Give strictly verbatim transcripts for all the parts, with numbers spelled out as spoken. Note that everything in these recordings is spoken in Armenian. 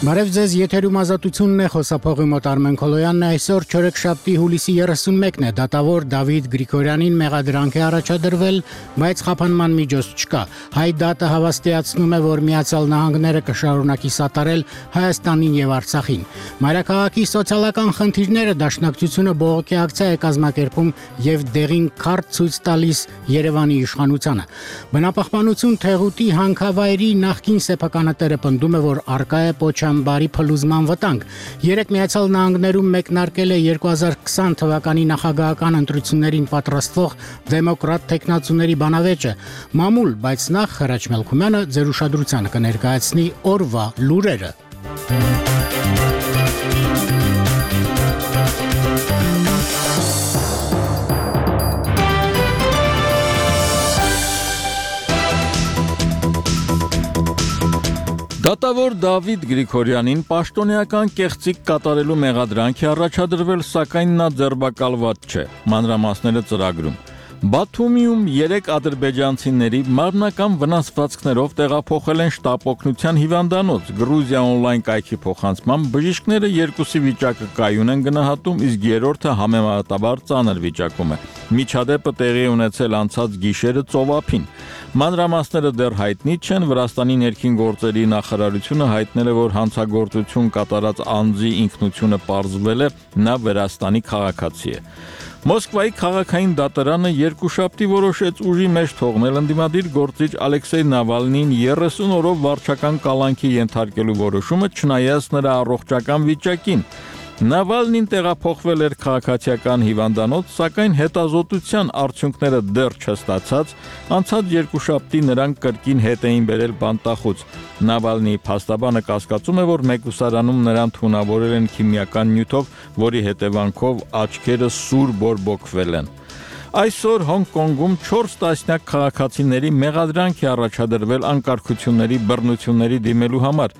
Բարև ձեզ, եթերում ազատությունն է, խոսափողի մոտ Արմեն Քոլոյանն է, այսօր չորեքշաբթի հուլիսի երեսունմեկն է, դատավոր Դավիթ Գրիգորյանին մեղադրանք է առաջադրվել, բայց խափանման միջոց չկա։ Հայ դատը հավաստիացնում է, որ Միացյալ Նահանգները կշարունակի սատարել Հայաստանին եւ Արցախին։ Մայրաքաղաքի սոցիալական խնդիրները դաշնակցությունը բողոքի ակցիա է կազմակերպում եւ դեղին քարտ ցույց տալիս Երևանի իշխանությանը։ Բնապահպանություն թեղուտի հանքավայրի նախկին սեփականատերը պնդում է, որ արկա է Պոչամբարի փլուզման վտանգ։ Երեք Միացյալ Նահանգներում մեկնարկել է երկու հազար քսան թվականի նախագահական ընտրություններին պատրաստվող դեմոկրատ տեխնացուների բանավեճը։ Մամուլ, բայց նախ Հրաչ Մելքումյանը ձեր ուշադրությանը կներկայացնի օրվա լուրերը։ Դատավոր Դավիթ Գրիգորյանին պաշտոնեական կեղծիք կատարելու մեղադրանք է առաջադրվել, սակայն նա ձերբակալված չէ։ Մանրամասները ծրագրում։ Բաթումիում երեք ադրբեջանցիների մարմնական վնասվածքներով տեղափոխել են շտապօգնության հիվանդանոց։ Գրուզիա օնլայն կայքի փոխանցմամբ բժիշկները երկուսի վիճակը կայուն են գնահատում, իսկ երրորդը համեմատաբար ծանր վիճակում է։ Միջադեպը տեղի ունեցել անցած գիշերը ծովափին։ Մանրամասները դեռ հայտնի չեն, Վրաստանի ներքին գործերի նախարարությունը հայտնել է, որ հանցագործություն կատարած անձի ինքնությունը պարզվել է, նա Վրաստանի քաղաքացի է։ Մոսկվայի քաղաքային դատարանը երկուշաբթի որոշեց ուժի մեջ թողնել ընդդիմադիր գործիչ Ալեքսեյ Նավալնիին երեսուն օրով վարչական կալանքի ենթարկելու որոշումը, չնայած նրա առողջական վիճակին։ Նավալնին տեղափոխվել էր քաղաքացիական հիվանդանոց, սակայն հետազոտության արդյունքները դեռ չստացած, անցած երկուշաբթի նրան կրկին հետ էին բերել բանտախոց։ Նավալնիի փաստաբանը կասկածում է, որ մեկուսարանում նրան թունավորել են քիմիական նյութով, որի հետևանքով աչքերը սուր բորբոքվել են։ Այսօր Հոնկոնգում չորս տասնյակ քաղաքացիների մեղադրանք է առաջադրվել անկարգությունների բռնությունների դիմելու համար։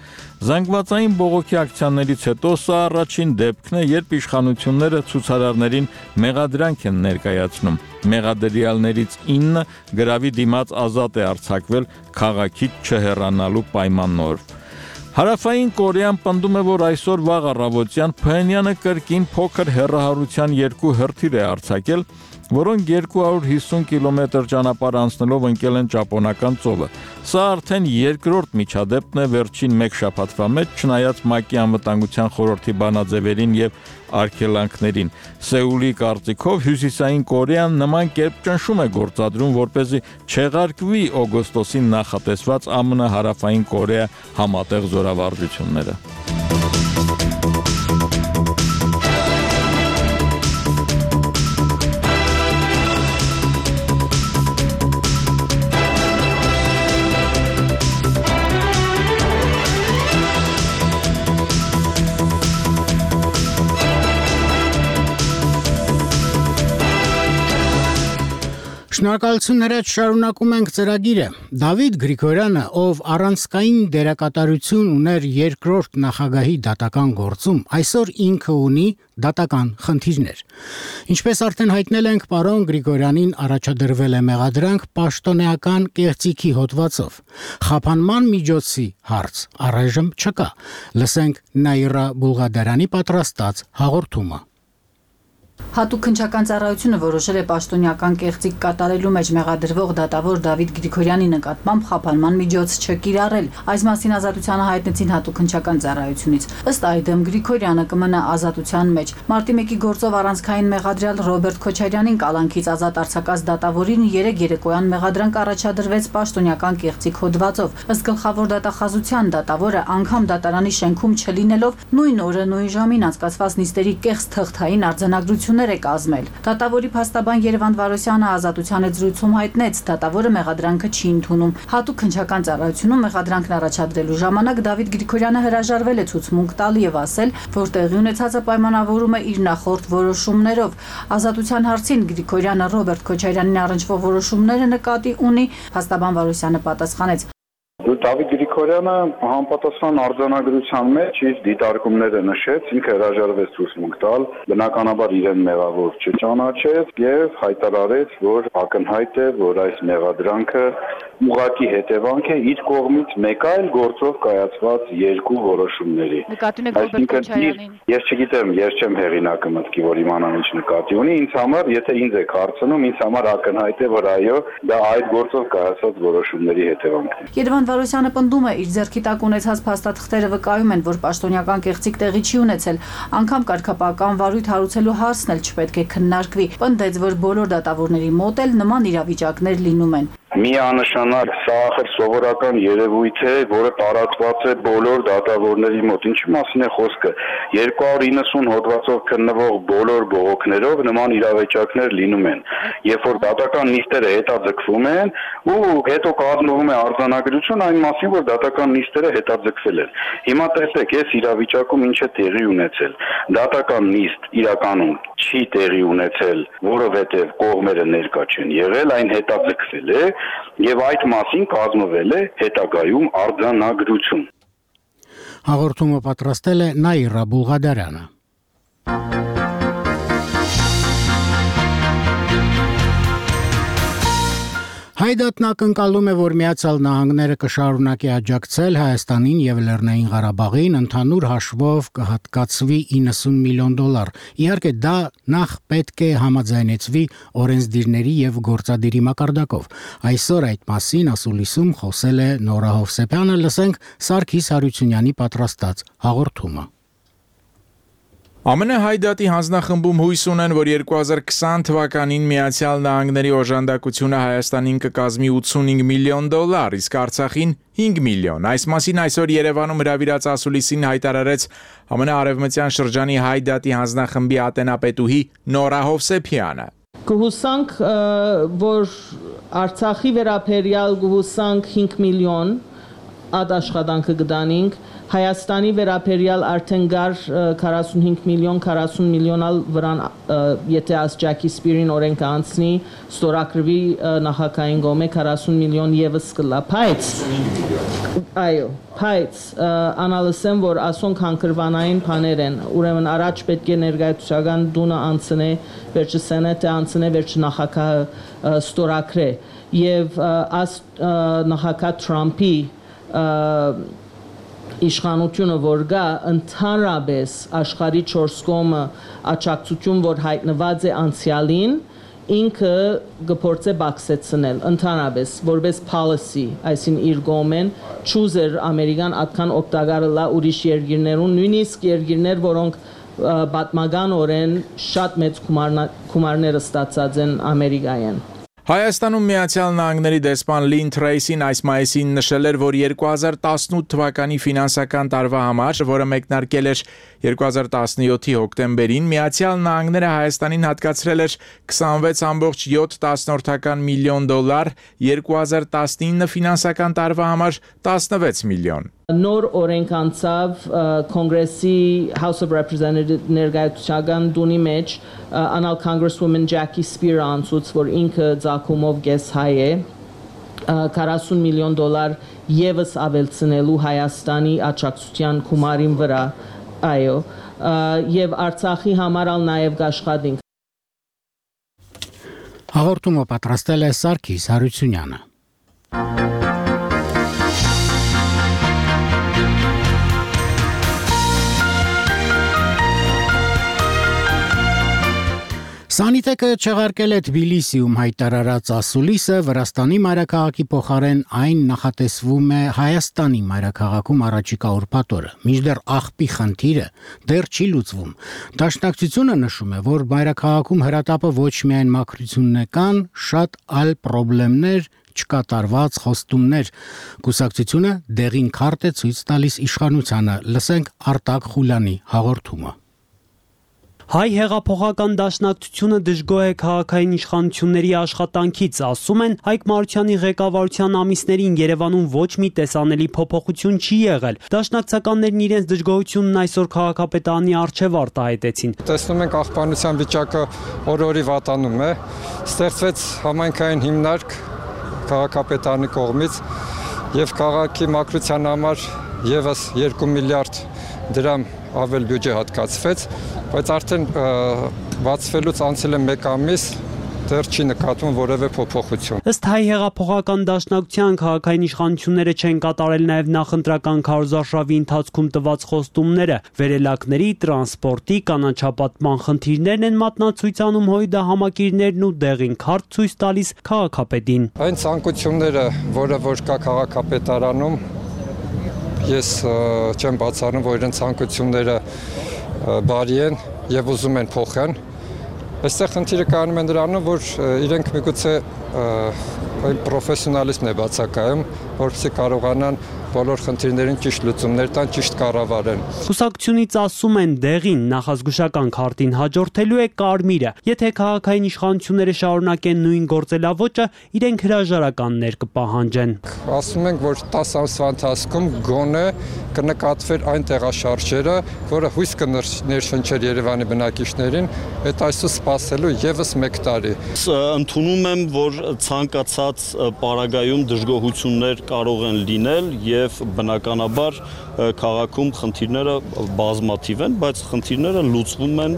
Զանգվածային բողոքի ակցիաներից հետո սա առաջին դեպքն է, երբ իշխանությունները ցուցարարներին մեղադրանք են ներկայացնում։ Մեղադրյալներից ինը գրավի դիմաց ազատ է արձակվել քաղաքից չհեռանալու պայմանով։ Հարավային Կորեան պնդում է, որ այսօր վաղ առավոտյան Փհենյանը կրկին փոքր հեռահարության երկու հրթիռ է արձակել, որոնք երկու հարյուր հիսուն կիլոմետր ճանապարհ անցնելով ընկել են Ճապոնական ծովը։ Սա արդեն երկրորդ միջադեպն է վերջին մեկ շաբաթվա մեջ, չնայած ՄԱԿ-ի անվտանգության խորհրդի բանաձևերին եւ արգելանքներին։ Սեուլի կարծիքով Հյուսիսային Կորեան նման կերպ ճնշում է գործադրում, որպեսզի չեղարկվի օգոստոսին նախատեսված ԱՄՆ Հարավային Կորեա համատեղ զորավարժությունները։ Շնորհակալություն Հրաչ, շարունակում ենք ծրագիրը։ Դավիթ Գրիգորյանը, ով առանցքային դերակատարություն ուներ երկրորդ նախագահի դատական գործում, այսօր ինքը ունի դատական խնդիրներ։ Ինչպես արդեն հայտնել ենք, պարոն Գրիգորյանին առաջադրվել է մեղադրանք պաշտոնեական կեղծիքի հոդվածով։ Խափանման միջոցի հարց առայժմ չկա։ Լսենք Նաիրա Բուլղադարյանի պատրաստած հաղորդումը։ Հատուկ քննչական ծառայությունը որոշել է պաշտոնեական կեղծիք կատարելու մեջ մեղադրվող դատավոր Դավիթ Գրիգորյանի նկատմամբ խափանման միջոց չկիրառել։ Այս մասին ազատությանը հայտնեցին հատուկ քննչական ծառայությունից։ Ըստ այդմ Գրիգորյանը կմնա ազատության մեջ։ Մարտի մեկի գործով առանցքային մեղադրյալ Ռոբերտ Քոչարյանին կալանքից ազատ արձակած դատավորին երեք երեկոյան մեղադրանք առաջադրվեց պաշտոնեական կեղծիք հոդվածով։ Ըստ գլխավոր դատախազության դատավորը անգամ դատարանի շենքում չլինելով նույն օրը նույն ժամին անցկացված նիստերի կեղծ թղթային արձանագրություն է կազմել։ Դատավորի փաստաբան Երևան Վարոսյանը ազատության հետ զրույցում հայտնեց, դատավորը մեղադրանքը չի ընդունում։ Հատուկ քննչական ծառայությունում մեղադրանքն առաջադրելու ժամանակ Դավիթ Գրիգորյանը հրաժարվել է ցուցմունք տալ եւ ասել, որ տեղի ունեցածը պայմանավորում է իր նախորդ որոշումներով։ Ազատության հարցին Գրիգորյանը Ռոբերտ Քոչարյանին առնչվող որոշումները նկատի ունի, փաստաբան Վարոսյանը պատասխանեց. Դավիթ Գրիգորյանը համապատասխան արձանագրության մեջ իր դիտարկումները նշեց, ինքը հրաժարվեց ցուցմունք տալ, բնականաբար իրեն մեղավոր չճանաչեց եւ հայտարարեց, որ ակնհայտ է, որ այս մեղադրանքը ուղղակի հետևանք է իր կողմից մեկ այլ գործով կայացված երկու որոշումների։ Նկատի ունեք Ռոբերտ Քոչարյանին։ Ես չգիտեմ, ես չեմ հեղինակը մտքի, որ իմանամ ինչ նկատի ունի, ինձ համար, եթե ինձ եք հարցնում, ինձ համար ակնհայտ է, որ այո, դա այդ գործով կայացած որոշումների հետևանքն է։ Երևան Վարոսյանը պնդում է, իր ձեռքի տակ ունեցած փաստաթղթերը վկայում են, որ պաշտոնյական կեղծիք տեղի չի ունեցել, անգամ կարգապահական վարույթ հարուցելու հարցն էլ չպետք է քննարկվի։ Պնդեց, որ բոլոր դատավորների մոտ էլ նման իրավիճակներ լինում են։ Միանշանակ սա ախր սովորական երևույթ է, որը տարածված է բոլոր դատավորների մոտ։ Ինչի մասին է խոսքը։ երկու հարյուր իննսուն հոդվածով քննվող բոլոր բողոքներով նման իրավիճակներ լինում են։ Երբ որ դատական նիստերը հետաձգվում են ու հետո կազմվում է արձանագրություն այն մասին, որ դատական նիստերը հետաձգվել են։ Հիմա տեսեք, այս իրավիճակում ինչ է տեղի ունեցել։ Դատական նիստ իրականում չի տեղի ունեցել, որովհետև կողմերը ներկա չեն եղել, այն հետաձգվել է եւ այդ մասին կազմվել է հետագայում արձանագրություն։ Հաղորդումը պատրաստել է Նաիրա Բուլղադարյանը։ Հայդատն ակնկալում է, որ Միացյալ Նահանգները կշարունակի աջակցել Հայաստանին եւ Լեռնային Ղարաբաղին ընդհանուր հաշվով կհատկացվի իննսուն միլիոն դոլար։ Իհարկե դա նախ պետք է համաձայնեցվի օրենսդիրների եւ գործադիրի մակարդակով։ Այսօր այդ մասին ասուլիսում խոսել է Նորա Հովսեփյանը, լսենք Սարգիս Հարությունյանի պատրաստած հաղորդումը։ ԱՄՆ Հայդատի հանձնախմբում հույս ունեն, որ երկու հազար քսան թվականին Միացյալ Նահանգների օժանդակությունը Հայաստանին կկազմի ութսունհինգ միլիոն դոլար, իսկ Արցախին հինգ միլիոն։ Այս մասին այսօր Երևանում հրավիրած ասուլիսին հայտարարեց ԱՄՆ Արևմտյան շրջանի Հայդատի հանձնախմբի ատենապետուհի Նորա Հովսեփյանը։ Կհուսանք, որ Արցախի վերաբերյալ կհուսանք հինգ միլիոն ադ աշխատանքը կդանենք, Հայաստանի վերաբերյալ արդեն գար քառասունհինգ միլիոն, քառասուն միլիոնալ վրան, եթե աս Ջակի Սպիրին օրենքը անցնի, ստորագրվի նախագահային կողմէ քառասուն միլիոն եւս կլա, բայց այո, բայց անալսեմ, որ ասոնք հանգրվանային բաներ են, ուրեմն առաջ պետք է ներկայացուցական դունը անցնե, վերջը սենատը անցնե, վերջը նախագահը ստորագրե եւ աս նախագահ Թրամփի իշխանությունը որ գա ընդհանրապես աշխարհի չորս կողմը աջակցություն որ հայտնված է անցյալին ինքը գործե բացեցնել ընդհանրապես որպես policy այսին իր կողմեն choose-er ամերիկան atkan օգտակարը լա ուրիշ երկիրներուն նույնիսկ երկիրներ որոնք պատմականորեն շատ մեծ գումարներ ստացած են ամերիկայեն Հայաստանում Միացյալ Նահանգների դեսպան Լին Թրեյսին այս մայիսին նշել էր, որ երկու հազար տասնութ թվականի ֆինանսական տարվա համար, որը մեկնարկել էր երկու հազար տասնյոթի հոկտեմբերին, Միացյալ Նահանգները Հայաստանին հատկացրել էր քսանվեց կոմma յոթ միլիոն դոլար, երկու հազար տասնինը ֆինանսական տարվա համար տասնվեց միլիոն։ Նոր օրենք անցավ Կոնգրեսի House of Representatives ներկայացուցչական դունի մեջ անալ Congresswoman Jackie Spear անցուց, որ ինքը ցակումով գես հայ է քառասուն միլիոն դոլար եւս ավելցնելու Հայաստանի աջակցության գումարին վրա, այո, եւ Արցախի համար ալ նաեւ կաշխատենք։ Հաղորդումը պատրաստել է Սարգիս Հարությունյանը։ Սանիտեկը չեղարկել է Թբիլիսիում հայտարարած ասուլիսը Վրաստանի մայրաքաղաքի փոխարեն այն նախատեսվում է Հայաստանի մայրաքաղաքում առաջիկա ուրբաթ-օրը։ Մինչդեռ աղբի խնդիրը դեռ չի լուծվում։ Դաշնակցությունը նշում է, որ մայրաքաղաքում հրատապը ոչ միայն մաքրությունն է կան, շատ այլ խնդիրներ չկատարված խոստումներ։ Կուսակցությունը դեղին քարտ է ցույց տալիս իշխանությանը։ Լսենք Արտակ Խուլյանի հաղորդումը։ Հայ հեղափոխական դաշնակցությունը դժգոհ է քաղաքային իշխանությունների աշխատանքից, ասում են Հայկ Մարությանի ղեկավարության ամիսներին Երևանում ոչ մի տեսանելի փոփոխություն չի եղել։ Դաշնակցականներն իրենց դժգոհությունն այսօր քաղաքապետարանի առջև արտահայտեցին։ Տեսնում ենք աղբանության վիճակը օր-օրի վատանում է, ստեղծվեց համայնքային հիմնարկ քաղաքապետարանի կողմից եւ քաղաքի մաքրության համար եւս երկու միլիարդ դրամ ավել բյուջե հատկացվեց, բայց արդեն բացվելուց անցել է մեկ ամիս, դեռ չի նկատվում որևէ փոփոխություն։ Ըստ Հայ հեղափոխական դաշնակցության քաղաքային իշխանությունները չեն կատարել նաև նախընտրական քարոզարշավի ընթացքում տված խոստումները։ Վերելակների, տրանսպորտի, կանաչապատման խնդիրներն են մատնացույց անում հույդահամակիրներն ու դեղին քարտ ցույց տալիս քաղաքապետին։ Այն ցանկությունները, որը որ կա քաղաքապետարանում, ես չեմ բացառում, որ իրենց ցանկությունները բարի են եւ ուզում են փոխեն։ Այստեղ խնդիրը կանում է նրանում, որ իրենք միգուցե այն պրոֆեսիոնալիզմն է բացակայում, որպեսզի կարողանան բոլոր խնդիրներին ճիշտ լուծումներ տան, ճիշտ կառավարեն։ Կուսակցությունից ասում են դեղին նախազգուշական քարտին հաջորդելու է կարմիրը։ Եթե քաղաքային իշխանությունները շարունակեն նույն գործելավոճը, իրենք հրաժարականներ կպահանջեն։ Ասում ենք, որ տասը ամսվա ընթացքում գոնե կնկատվեր այն տեղաշարժերը, որը հույս կներշնչեր Երևանի բնակիչներին, այդ այսօր սպասելու եւս մեկ տարի։ Ընդունում եմ, որ ցանկացած պարագայում դժգոհություններ կարող են լինել եւ բնականաբար քաղաքում խնդիրները բազմաթիվ են, բայց խնդիրները լուծվում են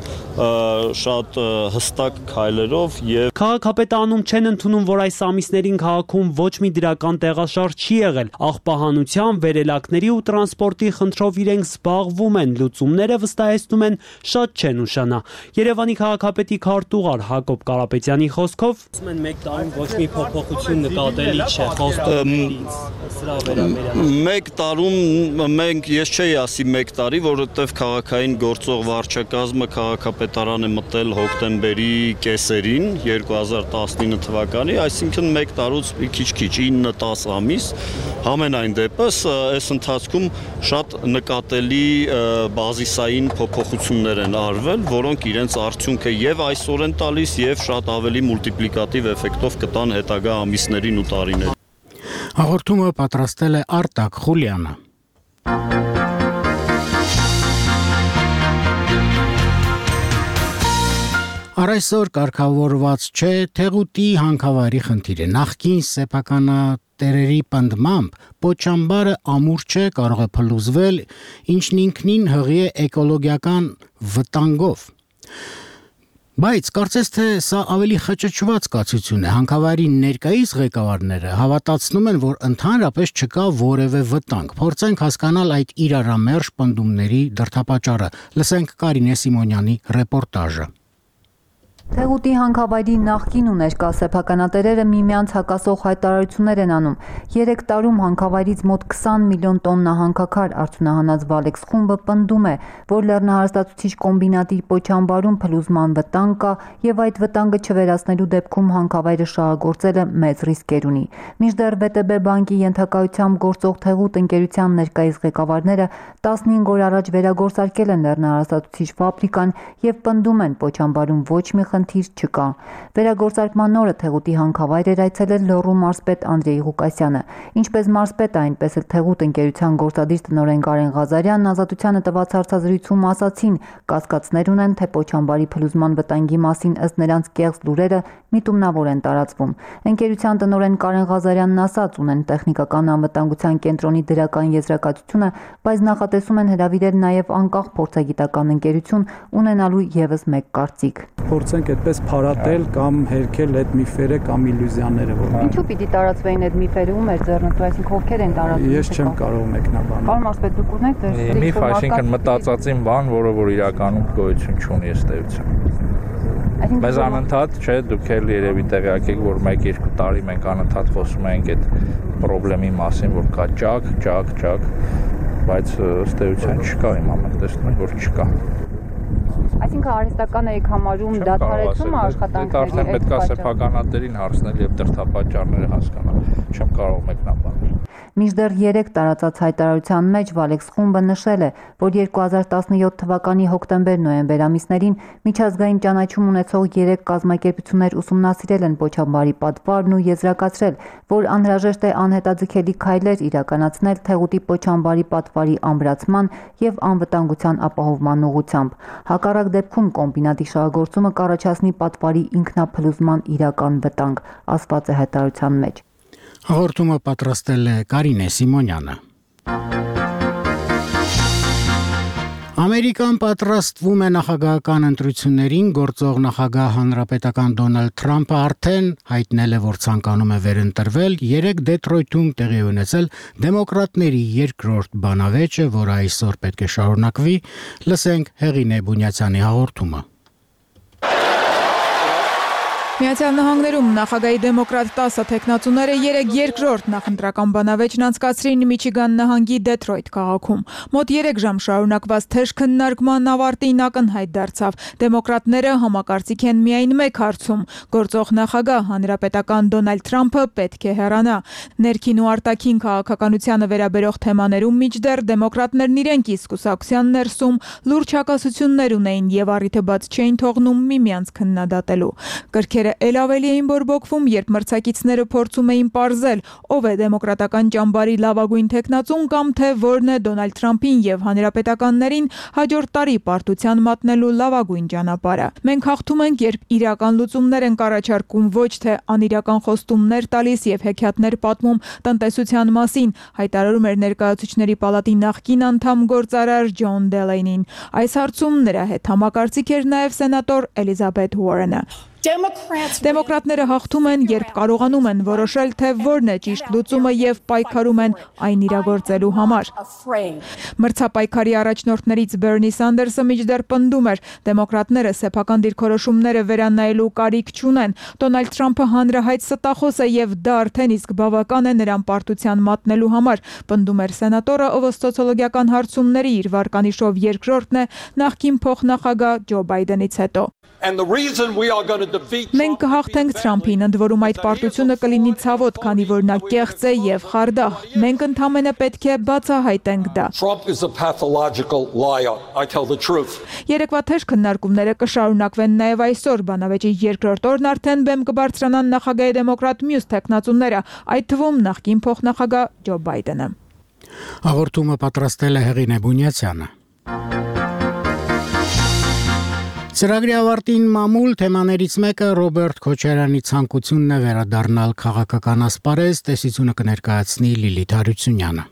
շատ հստակ քայլերով եւ քաղաքապետանում չեն ընդունում, որ այս ամիսներին քաղաքում ոչ մի դրական տեղաշարժ չի եղել։ Աղբահանության, վերելակների ու տրանսպորտի խնդրով իրենք զբաղվում են, լուծումները վստահեցնում են շատ չեն ուշանա։ Երևանի քաղաքապետի քարտուղար Հակոբ Կարապետյանի խոսքով ասում են մեկ տարում ոչ մի փոփոխություն նկատելի չէ խոստումներից սրա վերաբերյալ։ Մեկ տարում մենք ես չէի ասի մեկ տարի, որովհետև քաղաքային գործող վարչակազմը քաղաքապետարան է մտել հոկտեմբերի կեսերին երկու հազար տասնինը թվականի, այսինքն մեկ տարուց մի քիչ-քիչ ինը տասը ամիս, համենայն դեպս այս ընթացքում շատ նկատելի բազիսային փոփոխություններ են արվել, որոնք իրենց արդյունքը եւ այսօր են տալիս եւ շատ ավելի մուլտիպլիկատիվ էֆեկտով կտան հետագա ամիսներին ու տարիներին։ Հաղորդումը պատրաստել է Արտակ Խուլյանը։ Առայսօր կարգավորված չէ Թեղուտի հանքավայրի խնդիրը։ Նախկին սեփականատերերի պնդմամբ Պոչամբարը ամուր չէ, կարող է փլուզվել, ինչն ինքնին հղի է էկոլոգիական վտանգով։ Բայց կարծես թե սա ավելի խճճված կացություն է։ Հանքավայրի ներկայիս ղեկավարները հավատացնում են, որ ընդհանրապես չկա որևէ վտանգ։ Փորձենք հասկանալ այդ իրարամերժ պնդումների դրդապատճառը։ Լսենք Կարինե Սիմոնյանի ռեպորտաժը։ Թեղուտի հանքավայրի նախկին ու ներկա սեփականատերերը միմյանց հակասող հայտարարություններ են անում։ Երեք տարում հանքավայրից մոտ քսան միլիոն տոննա հանքաքար արտոնահանած Վալեքս խումբը պնդում է, որ լեռնահարստացուցիչ կոմբինատի Պոչամբարում փլուզման վտանգ կա եւ այդ վտանգը չվերացնելու դեպքում հանքավայրը շահագործելը մեծ ռիսկեր ունի։ Մինչդեռ վե տե բե բանկի ենթակայությամբ գործող Թեղուտ ընկերության ներկայիս ղեկավարները տասնհինգ օր առաջ վերագործարկել են լեռնահարստացուցիչ ֆաբրիկան եւ պնդում են Պոչամբարում ոչ մի խնդիր չկա։ Վերագործարկման օրը Թեղուտի հանքավայր էր այցելել Լոռու մարզպետ Անդրեյ Ղուկասյանը։ Ինչպես մարզպետը, այնպես էլ Թեղուտ ընկերության գործադիր տնօրեն Կարեն Ղազարյանն Ազատությանը տված հարցազրույցում ասացին, կասկածներ ունեն, թե Պոչամբարի փլուզման վտանգի մասին ըստ նրանց կեղծ լուրերը միտումնավոր են տարածվում։ Ընկերության տնօրեն Կարեն Ղազարյանն ասաց, ունեն տեխնիկական անվտանգության կենտրոնի դրական եզրակացությունը, բայց նախատեսում են հրավիրել նաև անկախ փորձագիտական ընկերություն ունենալու եւս մեկ կարծիք։ Փորձենք այդպես փարատել կամ հերքել այդ միֆերը կամ իլյուզիաները, որ Ինչու պիտի տարածվեին այդ միֆերը, ում էր ձեռնտու, այսինքն ովքեր են տարածում։ Ես չեմ կարող մեկնաբանել։ Պարոն մարզպետ, դուք ունեք դեր միֆ, այսինքն մտածածին բան, որը որ իրականում գոյություն չունի ըստ էության։ Բայց անընդհատ, չէ, դուք էլ երևի տեղյակ եք, որ մեկ-երկու տարի մենք անընդհատ խոսում ենք այդ խնդրի մասին, որ կա ճակ, ճակ, ճակ, բայց ըստ էության չկա, հիմա մենք տեսնում ենք, որ չկա։ Այսինքն արհեստական եք համարում դադարեցումը աշխատանքների։ Արդեն պետք է սեփականատերին հարցնել եւ դրդապատճառները հասկանալ։ Չեմ կարող մեկնաբանել։ Մինչդեռ երեք տարածած հայտարարության մեջ Վալեքս խումբը նշել է, որ երկու հազար տասնյոթ թվականի հոկտեմբեր-նոյեմբեր ամիսներին միջազգային ճանաչում ունեցող երեք կազմակերպություններ ուսումնասիրել են Պոչամբարի պատվարն ու եզրակացրել, որ անհրաժեշտ է անհետաձգելի քայլեր իրականացնել Թեղուտի Պոչամբարի պատվարի ամրացման եւ անվտանգության ապահովման ուղղությամբ։ Հակառակ դեպքում կոմբինատի շահագործումը կառաջացնի պատվարի ինքնափլուզման իրական վտանգ, ասված է հայտարարության մեջ։ Հաղորդումը պատրաստել է Կարինե Սիմոնյանը։ Ամերիկան պատրաստվում է նախագահական ընտրություններին, գործող նախագահ հանրապետական Դոնալդ Թրամփը արդեն հայտնել է, որ ցանկանում է վերընտրվել, երեկ Դեթրոյթում տեղի ունեցել դեմոկրատների երկրորդ բանավեճը, որը այսօր պետք է շարունակվի, լսենք Հեղինե Բունյացյանի հաղորդումը։ Միացյալ Նահանգներում նախագահի դեմոկրատ տասը թեկնածուները երեկ երկրորդ նախընտրական բանավեճն անցկացրին Միչիգան նահանգի Դեթրոյթ քաղաքում։ Մոտ երեք ժամ շարունակված թեժ քննարկման ավարտին ակնհայտ դարձավ։ Դեմոկրատները համակարծիք են միայն մեկ հարցում՝ գործող նախագահ հանրապետական Դոնալդ Թրամփը պետք է հեռանա։ Ներքին ու արտաքին քաղաքականությանը վերաբերող թեմաներում մինչդեռ դեմոկրատներն իրենք իսկ կուսակցության ներսում լուրջ հակասություններ ունեին եւ առիթը բաց չէին թողնում միմյանց քննադատելու։ Կրքերը էլ ավելի էին բորբոքվում, երբ մրցակիցները փորձում էին պարզել, ով է դեմոկրատական ճամբարի լավագույն թեկնածուն կամ թե որն է Դոնալդ Թրամփին եւ հանրապետականներին հաջորդ տարի պարտության մատնելու լավագույն ճանապարհը։ Մենք հաղթում ենք, երբ իրական լուծումներ են առաջարկում, ոչ թե անիրական խոստումներ տալիս եւ հեքիաթներ պատմում տնտեսության մասին, հայտարարում էր ներկայացուցիչների պալատի նախկին անդամ գործարար Ջոն Դելեյնին։ Այս հարցում նրա հետ համակարծիք էր նաեւ սենատոր Էլիզաբեթ Ուորենը։ Դեմոկրատները հաղթում են, երբ կարողանում են որոշել, թե որն է ճիշտ լուծումը եւ պայքարում են այն իրագործելու համար։ Մրցապայքարի առաջնորդներից Բերնի Սանդերսը մինչդեռ պնդում էր, դեմոկրատները սեփական դիրքորոշումները վերանայելու կարիք չունեն։ Դոնալդ Թրամփը հանրահայտ ստախոս է եւ դա արդեն իսկ բավական է նրան պարտության մատնելու համար, պնդում էր սենատորը, ով սոցիոլոգիական հարցումների իր վարկանիշով երկրորդն է նախկին փոխնախագահ Ջո Բայդենից հետո։ Մենք կհաղթենք Թրամփին, ընդ որում այդ պարտությունը կլինի ցավոտ, քանի որ նա կեղծ է եւ խարդախ։ Մենք ընդհանրապես պետք է բացահայտենք դա։ Երեկվա թեժ քննարկումները կշարունակվեն նաեւ այսօր, բանավեճի երկրորդ օրն արդեն բեմ կբարձրանան նախագահի դեմոկրատ մյուս թեկնածուները, այդ թվում նախկին փոխնախագահ Ջո Բայդենը։ Հաղորդումը պատրաստել է Հեղինե Բունյացյանը։ Ծրագրի ավարտին մամուլ թեմաներից մեկը Ռոբերտ Քոչարյանի ցանկությունն է վերադառնալ քաղաքական ասպարեզ, տեսությունը կներկայացնի Լիլիթ Հարությունյանը։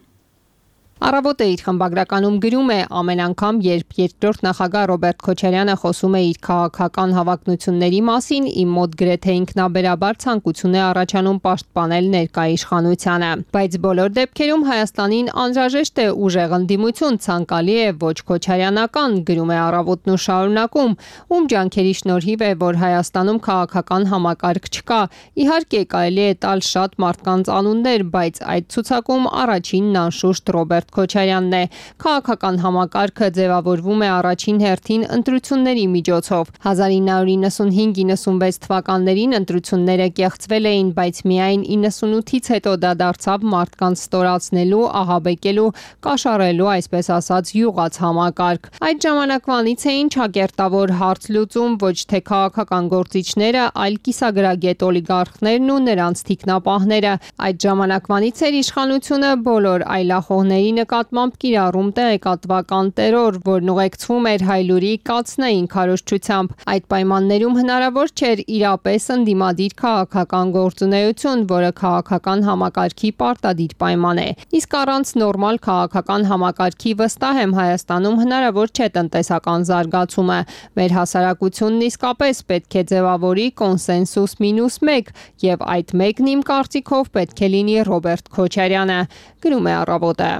Առավոտը իր խմբագրականում գրում է. ամեն անգամ, երբ երկրորդ նախագահ Ռոբերտ Քոչարյանը խոսում է իր քաղաքական հավակնությունների մասին, իմ մոտ գրեթե ինքնաբերաբար ցանկություն է առաջանում պաշտպանել ներկա իշխանությանը։ Բայց բոլոր դեպքերում Հայաստանին անհրաժեշտ է ուժեղ ընդդիմություն, ցանկալի է ոչ քոչարյանական, գրում է Առավոտն ու շարունակում, ում ջանքերի շնորհիվ է, որ Հայաստանում քաղաքական համակարգ չկա։ Իհարկե կարելի է տալ շատ մարդկանց անուններ, բայց այդ ցուցակում առաջինն անշուշտ Ռոբերտ Քոչարյանն է։ Քաղաքական համակարգը ձևավորվում է առաջին հերթին ընտրությունների միջոցով։ հազար ինը հարյուր իննսունհինգ իննսունվեց թվականներին ընտրությունները կեղծվել էին, բայց միայն իննսունութից հետո դա դարձավ մարդկանց ստորացնելու, ահաբեկելու, կաշառելու, այսպես ասած, յուղաց համակարգ։ Այդ ժամանակվանից էին ճակերտավոր հարց լուծում ոչ թե քաղաքական գործիչները, այլ կիսագրագետ օլիգարխներն ու նրանց թիկնապահները։ Այդ ժամանակվանից էր իշխանությունը բոլոր այլախոհների նկատմամբ կիրառում տեղեկատվական տերոր, որն ուղեկցվում էր հայլուրի կացնային քարոզչությամբ։ Այդ պայմաններում հնարավոր չէր իրապես ընդդիմադիր քաղաքական գործունեություն, որը քաղաքական համակարգի պարտադիր պայման է։ Իսկ առանց նորմալ քաղաքական համակարգի վստահ եմ Հայաստանում հնարավոր չէ տնտեսական զարգացումը։ Մեր հասարակությունն իսկապես պետք է ձևավորի կոնսենսուս մինուս մեկ, եւ այդ մեկն իմ կարծիքով պետք է լինի Ռոբերտ Քոչարյանը, գրում է Առավոտը։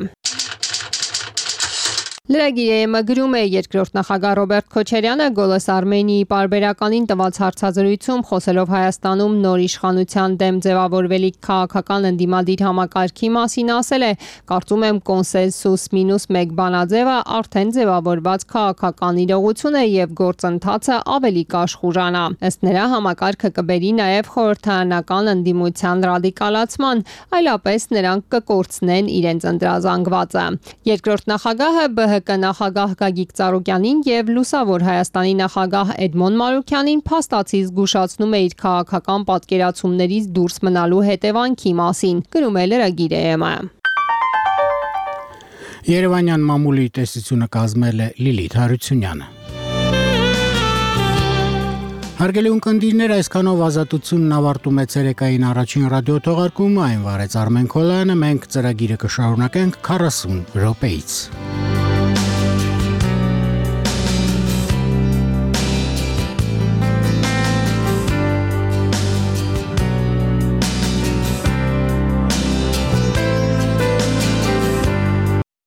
Լրագիրը գրում է երկրորդ նախագահ Ռոբերտ Քոչարյանը Գոլոս Արմենիի պարբերականին տված հարցազրույցում խոսելով Հայաստանում նոր իշխանության դեմ ձևավորվելիք քաղաքական ընդդիմադիր համակարգի մասին ասել է. կարծում եմ կոնսենսուս մինուս մեկ բանաձևը արդեն ձևավորված քաղաքական իրողություն է եւ գործընթացը ավելի կաշխուրանա։ Ըստ նրա համակարգը կբերի նաեւ խորհրդարանական ընդդիմության ռադիկալացման, այլապես նրանք կկորցնեն իրենց ընտրազանգվածը։ Երկրորդ նախագահը ԲՀԿ նախագահ Գագիկ Ծառուկյանին եւ Լուսավոր Հայաստանի նախագահ Էդմոն Մանուկյանին փաստացի զգուշացնում է իր քաղաքական պատկերացումներից դուրս մնալու հետևանքի մասին, գրում է լրագիրը։ Երևանյան մամուլի տեսությունը կազմել է Լիլիթ Հարությունյանը։ Հարգելի ունկնդիրներ, այսքանով ազատությունն ավարտում է ցերեկային առաջին ռադիոթողարկումը, այն վարեց Արմեն Քոլյանը, մենք ծրագիրը կշարունակենք քառասուն րոպեից։